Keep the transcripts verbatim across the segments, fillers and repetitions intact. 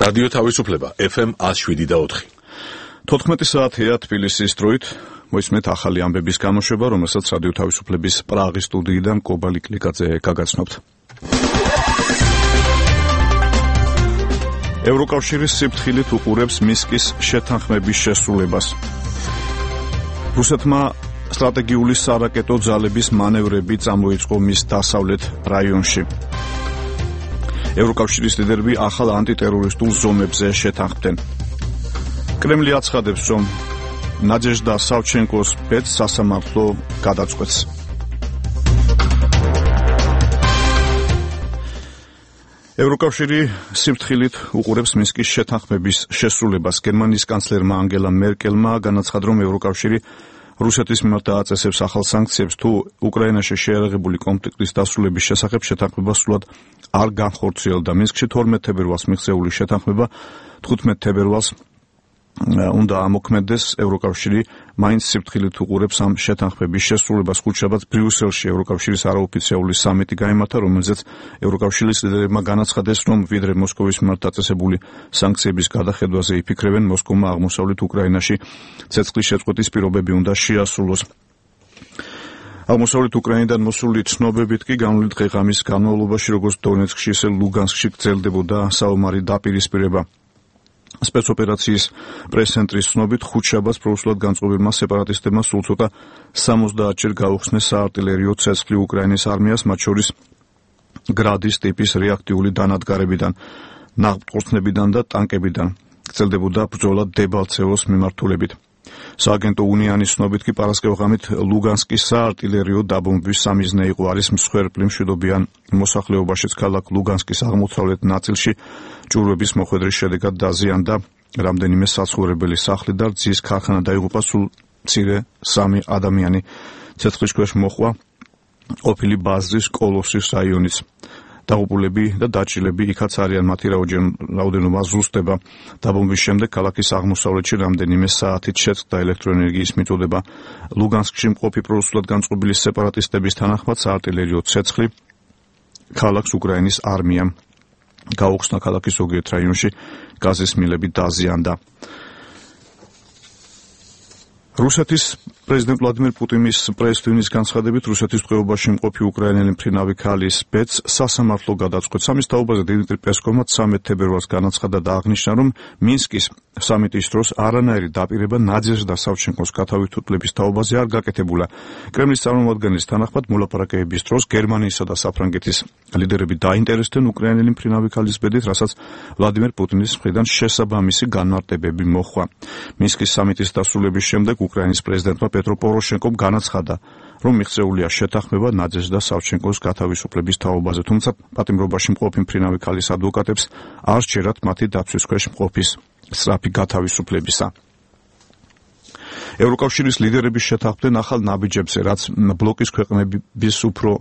რადიო თავისუფლება ეფ ემ one oh seven და four. თოთხმეტი საათია თბილისის დროით. მოისმენთ ახალი ამბების გამოშვება, რომელსაც რადიო თავისუფლების პრაღის სტუდიიდან კობალი კლიკაძე გაგაცნობთ. ევროკავშირის სიფრთხილით უყურებს მინსკის შეთანხმების შესრულებას. რუსეთმა სტრატეგიული სარაკეტო ძალების მანევრები წამოიწყო მის დასავლეთ რაიონში. ევროკავშირის ლიდერები ახალ ანტიტერორისტულ ზომებზე შეთანხმდნენ. კრემლი აცხადებს, რომ ნაჯეჟდა სავჩენკოს ბედს სასამართლო გადაწყვეტს. ევროკავშირი სიფრთხილით უყურებს მინსკის შეთანხმების შესრულებას. გერმანიის კანცლერმა ანგელა მერკელმა განაცხადა, რომ ევროკავშირი რუსეთის მიმართ დააწესებს ახალ სანქციებს, თუ უკრაინაში შეერაღებული კონფლიქტის დასრულების შესახებ შეთანხმება სრულად არ განხორციელდა. მინსკში თორმეტ თებერვალს მიღწეული შეთანხმება თხუთმეტ თებერვალს უნდა ამოქმედდეს. ევროკავშირი მაინც სიფრთხილით უყურებს ამ შეთანხმების შესრულებას. ხუთშაბათს ბრიუსელში ევროკავშირის არაოფიციალური სამიტი გაიმართა, რომელზეც ევროკავშირის ლიდერებმა განაცხადეს, რომ ვიდრე მოსკოვის მიმართ დაწესებული სანქციების გადახედვაზე იფიქრებენ, მოსკოვმა აღმოსავლეთ უკრაინაში ცეცხლის შეწყვეტის პირობები უნდა შეასრულოს. აღმოსავლეთ უკრაინიდან მოსული ცნობებით კი განვლილი დღე-ღამის განმავლობაში, როგორც დონეცკში, ისე ლუგანსკში გრძელდებოდა საომარი დაპირისპირება. სპეცოპერაციის პრეს-ცენტრის ცნობით, ხუთშაბათს პროუსულად განწყობილმა სეპარატისტებმა სულ ცოტა სამოცდაათჯერ გაუხსნეს საარტილერიო ცეცხლი უკრაინის არმიას, მათ შორის გრადის ტიპის რეაქტიული დანადგარებიდან, ნავთობხორცნებიდან და ტანკებიდან. გრძელდებოდა ბრძოლა დებალცევოს მიმართულებით. სააგენტო უნიანის ცნობით კი პარასკევღამით ლუგანსკის საარტილერიო დაბომბვის სამიზნე იყო. არის მსხვერპლი მშვიდობიან მოსახლეობაშიც. ქალაქ ლუგანსკის აღმოსავლეთ ნაწილში ჭურვების მოხვედრის შედეგად დაზიანდა რამდენიმე საცხოვრებელი სახლი და რძის ქარხანა დაიღუპა. სულ მცირე სამი ადამიანი ცეცხლის ქვეშ მოჰყვა ყოფილი ბაზრის კოლოსის რაიონის. დაღუპულები და დაჭრილები იქაც არიან, მათი რაოდენობა ზუსტდება. დაბომბვის შემდეგ ქალაქის აღმოსავლეთში რამდენიმე საათით შეწყდა ელექტროენერგიის მიწოდება. ლუგანსკში მყოფი პროუსულად განწყობილი სეპარატისტების თანახმად საარტილერიო ცეცხლი ქალაქს უკრაინის არმიამ გაუხსნა. ქალაქის ზოგიერთ რაიონში გაზის მილები დაზიანდა. რუსეთის პრეზიდენტ ვლადიმერ პუტინის პრეს-ტვინის განცხადებით, რუსეთის ტყვეობაში მყოფი უკრაინელი მფრინავი ქალის ბედს სასამართლო გადაწყვეტს. ამის თაობაზე დიმიტრი პესკოვმა ცამეტ თებერვალს განაცხადა და აღნიშნა, რომ მინსკის სამიტის დროს არანაირი დაპირება ნაჯეჟდა სავჩენკოს გათავისუფლების თაობაზე არ გაკეთებულა. კრემლის წარმომადგენლის თანახმად, მოლაპარაკებების დროს გერმანიისა და საფრანგეთის ლიდერები დაინტერესდნენ უკრაინელი მფრინავი ქალის ბედით, რასაც ვლადიმერ პუტინის მხრიდან შესაბამისი განმარტებები მოჰყვა. მინსკის სამიტის დასრულების შემდეგ უკრაინის პრეზიდენტმა პეტრო პოროშენკომ განაცხადა, რომ მიღწეულია შეთანხმება ნაჯეჟდა სავჩენკოს გათავისუფლების თაობაზე, თუმცა პატიმრობაში მყოფი მფრინავი ქალის ადვოკატებს არ სჯერათ მათი დაცვის ქვეშ მყოფის სწრაფი გათავისუფლებისა. ევროკავშირის ლიდერები შეთანხმდნენ ახალ ნაბიჯებზე, რაც ბლოკის ქვეყნების უფრო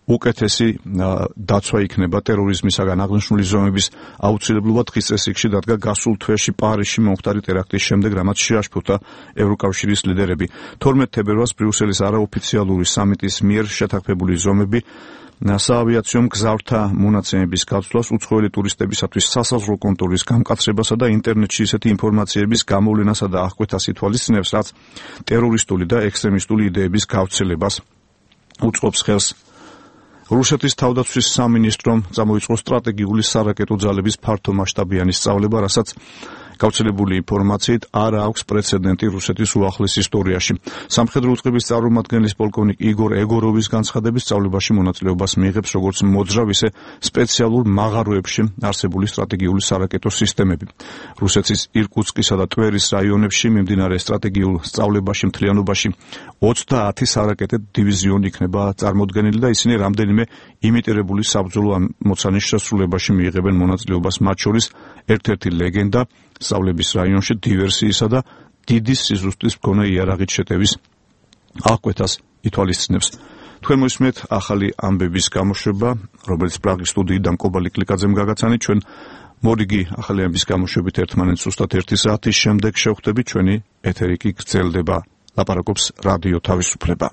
უკეთესი დაცვა იქნება ტერორიზმისაგან. აღნიშნული ზომების აუცილებლობა დღის წესრიგში დადგა გასულ თვეში პარიზში მომხდარი ტერაქტის შემდეგ, რამაც შეაშფოთა ევროკავშირის ლიდერები. თორმეტ თებერვალს ბრიუსელის არაოფიციალური სამიტის მიერ შეთანხმებული ზომები საავიაციო მგზავრთა მონაცემების გაცვლას, უცხოელი ტურისტებისათვის სასაზღვრო კონტროლის გამკაცრებასა და ინტერნეტში ისეთი ინფორმაციების გამოვლენასა და აღკვეთას ითვალისწინებს, რაც ტერორისტული და ექსტრემისტული იდეების გავრცელებას უწყობს ხელს. რუსეთის თავდაცვის სამინისტრომ წამოიწყო სტრატეგიული სარაკეტო ძალების ფართომასშტაბიანი სწავლება, რასაც გავრცელებული ინფორმაციით არ აქვს პრეცედენტი რუსეთის უახლეს ისტორიაში. სამხედრო უწყების წარმომადგენლის პოლკოვნიკ იგორ ეგოროვის განცხადებით, სწავლებაში მონაწილეობას მიიღებს როგორც მოძრავ, ისე სპეციალურ მაღაროებში არსებული სტრატეგიული სარაკეტო სისტემები. რუსეთის ირკუტსკისა და ტვერის რაიონებში მიმდინარე სტრატეგიულ სწავლებაში მთლიანობაში ოცდაათი სარაკეტო დივიზიონი იქნება წარმოდგენილი და ისინი რამდენიმე იმიტირებული საბრძოლო ამოცანის შესრულებაში მიიღებენ მონაწილეობას, მათ შორის ერთ-ერთი ლეგენდა სწავლების რაიონში დივერსიისა და დიდი სიზუსტის მქონე იარაღით შეტევის აღკვეთას ითვალისწინებს. თქვენ მოისმენთ ახალი ამბების გამოშვება, რომელიც პრაღის სტუდიიდან კობალი კლიკაძემ გაგაცანით. ჩვენ მორიგი ახალი ამბების გამოშვებით ერთმანეთს ზუსტად ერთი საათის შემდეგ შევხვდებით. ჩვენი ეთერი კი გრძელდება. ლაპარაკობს რადიო თავისუფლება.